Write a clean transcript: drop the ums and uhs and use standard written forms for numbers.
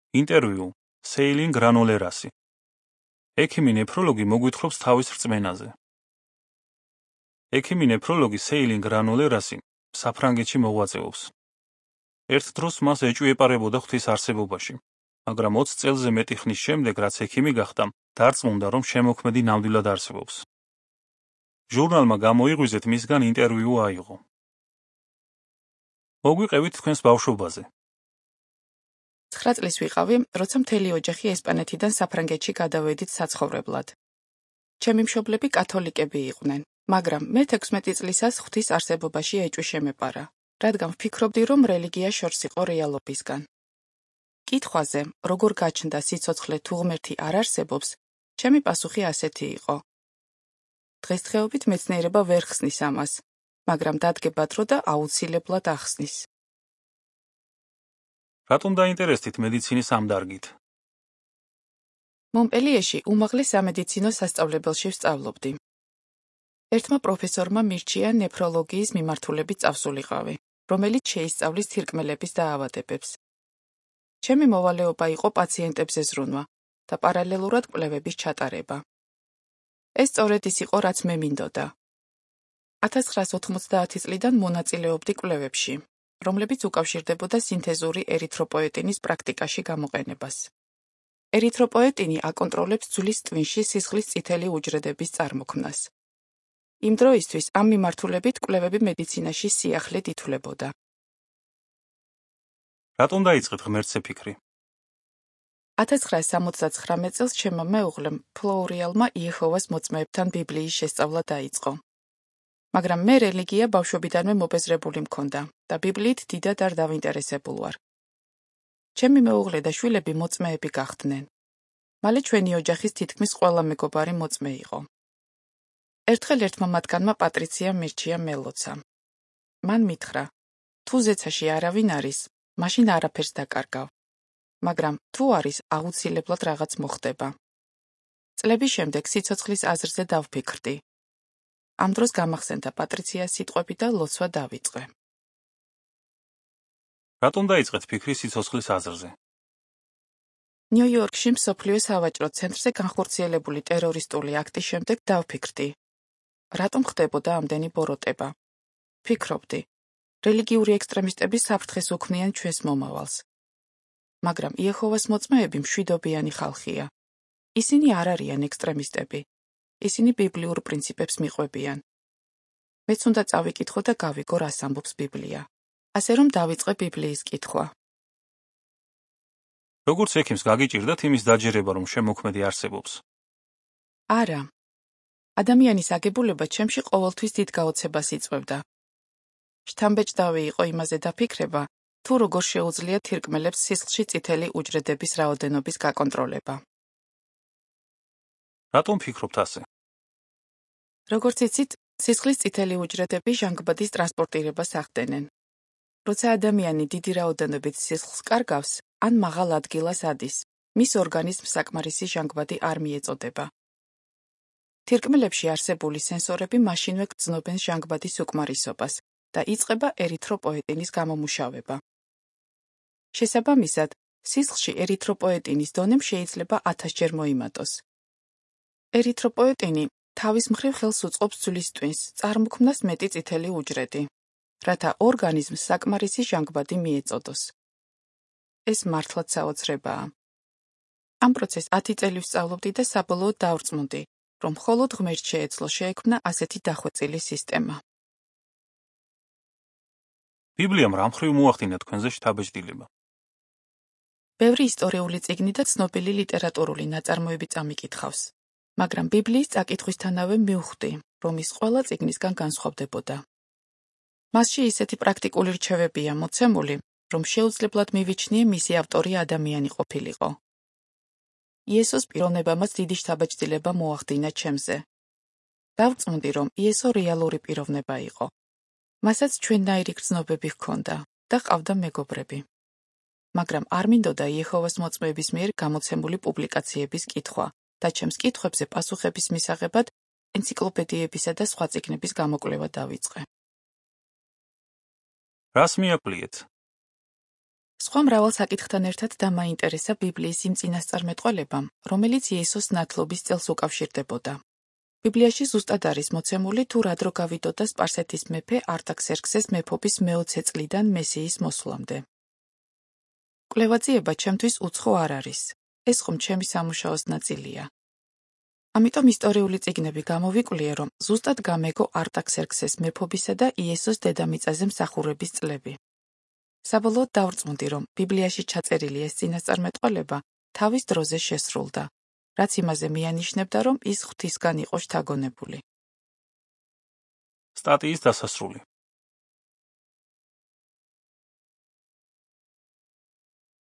ინტერვიუ სეილინ გრანოლერასი. ექიმი ნეფროლოგი მოგვითხრობს თავის რწმენაზე. ექიმი ნეფროლოგი სეილინ გრანოლერასი საფრანგეთში მოღვაწეობს. ერთ დროს მას ეჭვი ეპარებოდა ღვთის არსებობაში, მაგრამ 20 წელზე მეტი ხნის შემდეგ, რაც ექიმი გახდა, დარწმუნდა, რომ შემოქმედი ნამდვილად არსებობს. ჟურნალმა გამოიღვიძეთ მისგან ინტერვიუ აიღო. მოგვიყევით თქვენს ბავშვობაზე. 9 წლის ვიყავი, როცა მთელი ოჯახი ესპანეთიდან საფრანგეთში გადავედით საცხოვრებლად. ჩემი მშობლები კათოლიკები იყვნენ, მაგრამ მე 16 წლისას ღვთის არსებობაში ეჭვი შემეპარა, რადგან ვფიქრობდი, რომ რელიგია შორს იყო რეალობისგან. კითხვაზე, როგორ გაჩნდა სიცოცხლე თუ ღმერთი არ არსებობს, ჩემი პასუხი ასეთი იყო. დღესდღეობით მეცნიერება ვერ ხსნის ამას, მაგრამ დადგება დრო და აუცილებლად ახსნის. რატომ დაინტერესდით მედიცინის ამ დარგით? მონპელიეში უმაღლეს სამედიცინო სასწავლებელში ვსწავლობდი. ერთმა პროფესორმა მირჩია ნეფროლოგიის მიმართულებით წავსულიყავი, რომელიც შეისწავლის თირკმელების დაავადებებს. ჩემი მოვალეობა იყო პაციენტებზე ზრუნვა და პარალელურად კვლევების ჩატარება. ეს სწორედ ის იყო, რაც მე მინდოდა. 1990 წლიდან მონაწილეობდი კვლევებში, რომლებიც უკავშირდებოდა სინთეზური ერითროპოეტინის პრაქტიკაში გამოყენებას. ერითროპოეტინი აკონტროლებს ძვლის ტვინში სისხლის წითელი უჯრედების წარმოქმნას. იმ დროისთვის ამ მიმართულებით კვლევები მედიცინაში სიახლედ ითვლებოდა. რატომ დაიწყეთ ღმერთზე ფიქრი? 1979 წელს ჩემმა მეუღლემ, ფლოურიალმა იეჰოვას მოწმეებთან ბიბლიის შესწავლა დაიწყო. მაგრამ მე რელიგია ბავშვობიდანვე მობეზრებული მქონდა და ბიბლიით დიდად არ დავინტერესებულ ვარ. ჩემი მეუღლე და შვილები მოწმეები გახდნენ. მალე ჩვენი ოჯახის თითქმის ყველა მეგობარი მოწმე იყო. ერთხელ ერთმა მათგანმა პატრიცია მირჩია მელოცა. მან მითხრა, თუ ზეცაში არავინ არის, მაშინ არაფერს დაკარგავ. მაგრამ თუ არის, აუცილებლად რაღაც მოხდება. წლების შემდეგ სიცოცხლის აზრზე დავფიქრდი. ამ დროს გამახსენდა პატრიციას სიტყვები და ლოცვა დავიწყე. რატომ დაიწყეთ ფიქრი სიცოცხლის აზრზე? ნიუ-იორკში მსოფლიო სავაჭრო ცენტრზე განხორციელებული ტერორისტული აქტის შემდეგ დავფიქრდი. რატომ ხდებოდა ამდენი ბოროტება? ფიქრობდი, რელიგიური ექსტრემისტები საფრთხეს უქმნიან ჩვენს მომავალს. მაგრამ იეჰოვას მოწმეები მშვიდობიანი ხალხია. ისინი არ არიან ექსტრემისტები. ისინი ბიბლიურ პრინციპებს მიყვებიან. მეც უნდა წავიკითხო და გავიგო, რას ამბობს ბიბლია. ასე რომ დავიწყე ბიბლიის კითხვა. როგორც ექიმს გაგიჭირდათ იმის დაჯერება, რომ შემოქმედი არსებობს? არა. ადამიანის აგებულება ჩემში ყოველთვის დიდ გაოცებას იწვევდა. შთამბეჭდავი იყო იმაზე დაფიქრება, თუ როგორ შეუძლია თირკმელებს სისხლში წითელი უჯრედების რაოდენობის გაკონტროლება. რატომ ფიქრობთ ასე? როგორც იცით, სისხლის წითელი უჯრედები ჟანგბადის ტრანსპორტირებას ახდენენ. როცა ადამიანი დიდი რაოდენობით სისხლს კარგავს, ან მაღალ ადგილას ადის, მის ორგანიზმს საკმარისი ჟანგბადი არ მიეწოდება. თირკმელებში არსებული სენსორები მაშინვე გრძნობენ ჟანგბადის უკმარისობას და იწყება ერითროპოეტინის გამომუშავება. შესაბამისად, სისხლში ერითროპოეტინის დონემ შეიძლება 1000-ჯერ მოიმატოს. ერითროპოეტინი თავის მხრივ ხელს უწყობს ძვლის ტვინს, წარმოქმნას მეტი წითელი უჯრედი, რათა ორგანიზმს საკმარისი ჟანგბადი მიეწოდოს. ეს მართლაც საოცრებაა. ამ პროცესს 10 წელი ვსწავლობდი და საბოლოოდ დავრწმუნდი, რომ მხოლოდ ღმერთს შეეძლო შეექმნა ასეთი დახვეწილი სისტემა. ბიბლიამ რა მხრივ მოახდინა თქვენზე შთაბეჭდილება? ბევრი ისტორიული წიგნი და ცნობილი ლიტერატურული ნაწარმოები წამიკითხავს, მაგრამ ბიბლიის წაკითხვისთანავე მივხვდი, რომ ის ყველა წიგნისგან განსხვავდებოდა. მასში ისეთი პრაქტიკული რჩევებია მოცემული, რომ შეუძლებლად მივიჩნიე მისი ავტორი ადამიანი ყოფილიყო. იესოს პიროვნებამაც დიდი შთაბეჭდილება მოახდინა ჩემზე. დავწმუნდი, რომ იესო რეალური პიროვნება იყო. მასაც ჩვენნაირი გრძნობები ჰქონდა და ჰყავდა მეგობრები. მაგრამ არ მინდოდა იეჰოვას მოწმეების მიერ გამოცემული პუბლიკაციების კითხვა და ჩემს კითხვებზე პასუხების მისაღებად ენციკლოპედიებისა და სხვა წიგნების გამოკვლევა დავიწყე. რას მიაკლიეთ? სხვა მრავალ საკითხთან ერთად დამაინტერესა ბიბლიის იმ წინასწარმეტყველებამ, რომელიც იესოს ნათლობის წელს უკავშირდებოდა. ბიბლიაში ზუსტად არის მოცემული, თუ რა დრო გავიდოდა სპარსეთის მეფე არტაქსერქსეს მეფობის მე-20 წლიდან მესიის მოსვლამდე. კვლევაძიება ჩემთვის უცხო არ არის. ეს ხომ ჩემი სამუშაოს ნაწილია. ამიტომ ისტორიული წიგნები გამოვიკვლიე, რომ ზუსტად გამეგო არტაქსერქსეს მეფობისა და იესოს დედამიწაზე მსახურების წლები. საბოლოოდ დავრწმუნდი, რომ ბიბლიაში ჩაწერილი ეს წინასწარმეტყველება თავის დროზე შესრულდა, რაც იმაზე მიანიშნებდა, რომ ის ღვთისგან იყო შთაგონებული. სტატიის დასასრული.